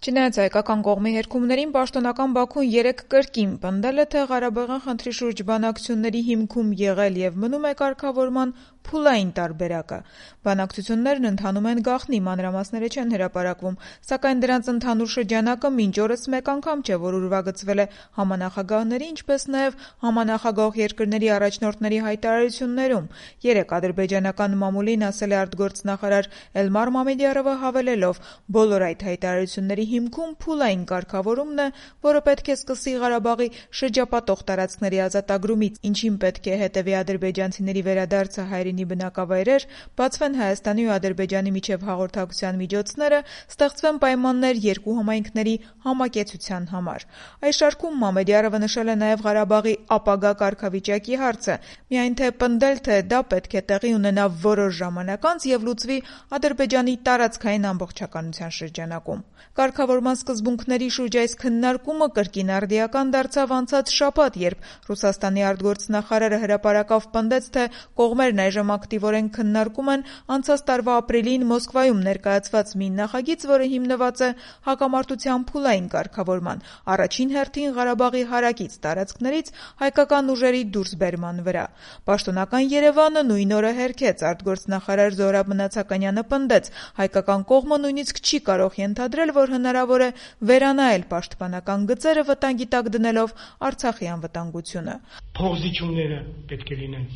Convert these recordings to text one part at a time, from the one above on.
Չնայած հայկական կողմի հերքումներին, պաշտոնական Բաքուն 3 կրկին պնդել է, թե Ղարաբաղյան խնդրի շուրջ բանակցությունների հիմքում եղել եւ մնում է կարգավորման փուլային տարբերակը։ Բանակցություններն ընթանում են գաղտնի, մանրամասները չեն հրապարակվում, սակայն դրանց ընդհանուր շրջանակը մինչ օրս մեկ անգամ չէ, որ ուրվագծվել է համանախագահների, ինչպես նաեւ համանախագահող երկրների առաջնորդների հայտարարություններում։ 3 ադրբեջանական մամուլին ասել է արտգործնախարար Էլմար Մամեդյարովը, հավելելով. բոլոր այդ հայտարարությունների հիմքում փուլային կարգավորումն է, որը պետք է սկսի Ղարաբաղի շրջապատող տարածքների ազատագրումից, ինչին պետք է հետևի ադրբեջանցիների վերադարձը հայրենի բնակավայրեր, բացվեն Հայաստանի ու Ադրբեջանի միջև հաղորդակցության միջոցները, ստեղծվեն պայմաններ երկու համայնքների համակեցության համար։ Այս շարքում Մամեդյարովը նշել է նաև Ղարաբաղի ապագա կարգավիճակի հարցը, միայն թե պնդել, թե դա պետք է տեղի ունենա որոշ ժամանակ անց եւ լուծվի Ադրբեջանի տարածքային ամբողջականության շրջանակում։ Կարգավորման սկզբունքների շուրջ այս քննարկումը կրկին արդիական դարձավ անցած շաբաթ, երբ Ռուսաստանի արտգործնախարարը հրապարակավ պնդեց, թե կողմերն այժմ ակտիվորեն քննարկում են անցած տարվա ապրիլին Մոսկվայում ներկայացված մի նախագիծ, որը հիմնված է հակամարտության փուլային կարգավորման, առաջին հերթին Ղարաբաղի հարակից տարածքներից հայկական ուժերի դուրսբերման վրա։ Պաշտոնական Երևանը նույն օրը հերքեց, արտգործնախարար Զոհրաբ Մնացականյանը պնդեց, հայկական կողմը նույնիսկ չի կարող ենթադրել, որ հնարավոր է վերանայել պաշտպանական գծերը վտանգի տակ դնելով Արցախի անվտանգությունը։ Փոխզիջումները պետք է լինեն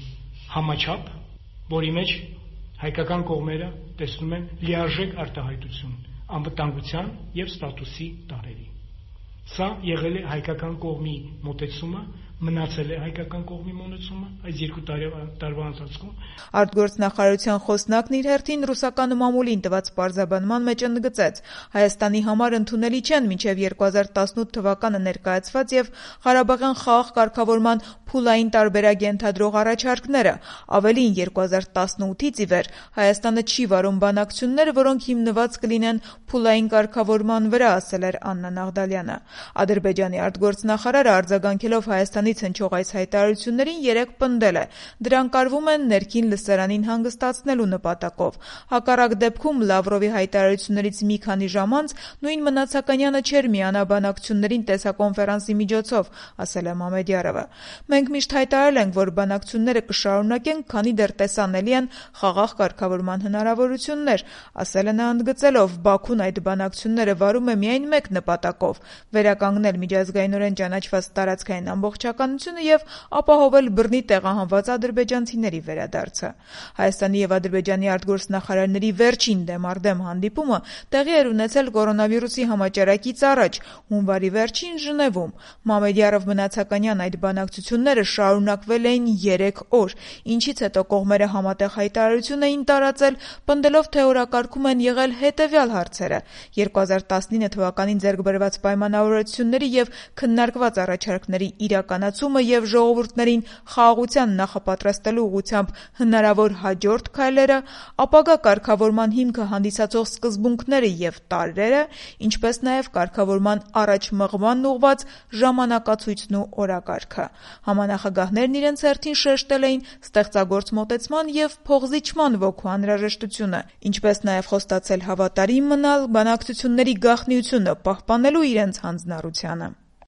համաչափ, որի մեջ հայկական կողմերը տեսնում են լիարժեք արտահայտություն անվտանգության եւ ստատուսի տարերի։ Սա եղել է հայկական կողմի մոտեցումը, մնացել է հայկական կողմի մոտեցումը այս 2 տարվա ընթացքում։ Արտգործնախարարության խոսնակն իր հերթին ռուսական մամուլին տված պարզաբանման մեջ ընդգծեց. Հայաստանի համար ընդունելի չեն մինչև 2018 թվականը ներկայացված եւ Ղարաբաղյան խաղաղ կարգավորման փուլային տարբերակ ենթադրող առաջարկները։ Ավելին 2018-ից ի վեր Հայաստանը չի վարում բանակցություններ, որոնք հիմնված կլինեն փուլային կարգավորման վրա, ասել էր Աննա Նաղդալյանը։ Ադրբեջանի արտգործնախարարը արձագանքելով Հայաստանից հնչող այս հայտարարություններին 3 պնդել է. դրանք արվում են ներքին լսարանին հանգստացնելու նպատակով։ Հակառակ դեպքում Լավրովի հայտարարություններից մի քանի ժամ անց նույն Մնացականյանը չէր միանա բանակցություններին տեսակոնֆերանսի միջոցով, ասել է Մամեդյարովը։ Մենք միշտ հայտարարել ենք, որ բանակցությունները կշարունակենք, քանի դեռ տեսանելի են խաղաղ կարգավորման հնարավորություններ, ասել է նա ընդգծելով. Բաքուն այդ բանակցությունները վարում է միայն մեկ նպատակով՝ վերականգնել միջազգայինորեն ճանաչված տարածքային ամբողջականությունը եւ ապահովել բռնի տեղահանված ադրբեջանցիների վերադարձը։ Հայաստանի եւ Ադրբեջանի արտգործնախարարների վերջին դեմարդեմ հանդիպումը տեղի էր ունեցել կորոնավիրուսի համաճարակից առաջ, հունվարի վերջին Ժնևում։ Մամեդյարով Մնացականյան այդ բանակցությունները շարունակվել էին 3 օր, ինչից հետո կողմերը համատեղ հայտարարություն էին տարածել, պնդելով, թե օրակարգում են եղել հետևյալ հարցերը. 2019 թվականին ձեռք բերված պայմանավորվածությունների եւ քննարկված առաջարկների իրականացումը եւ ժողովուրդներին խաղաղության նախապատրաստելու ուղղությամբ հնարավոր հաջորդ քայլերը, ապագա կարգավորման հիմքը հանդիսացող սկզբունքները եւ տարրերը, ինչպես նաեւ կարգավորման առաջ մղմանն ուղղված ժամանակացույցն ու օրակարգը։ Համանախագահներն իրենց հերթին շեշտել էին ստեղծագործ մոտեցման եւ փոխզիջման ոգու անհրաժեշտությունը, ինչպես նաեւ խոստացել հավատարիմ մնալ բանակցությունների գաղտնիությունը պահպանելու իրենց հանձնառությանը։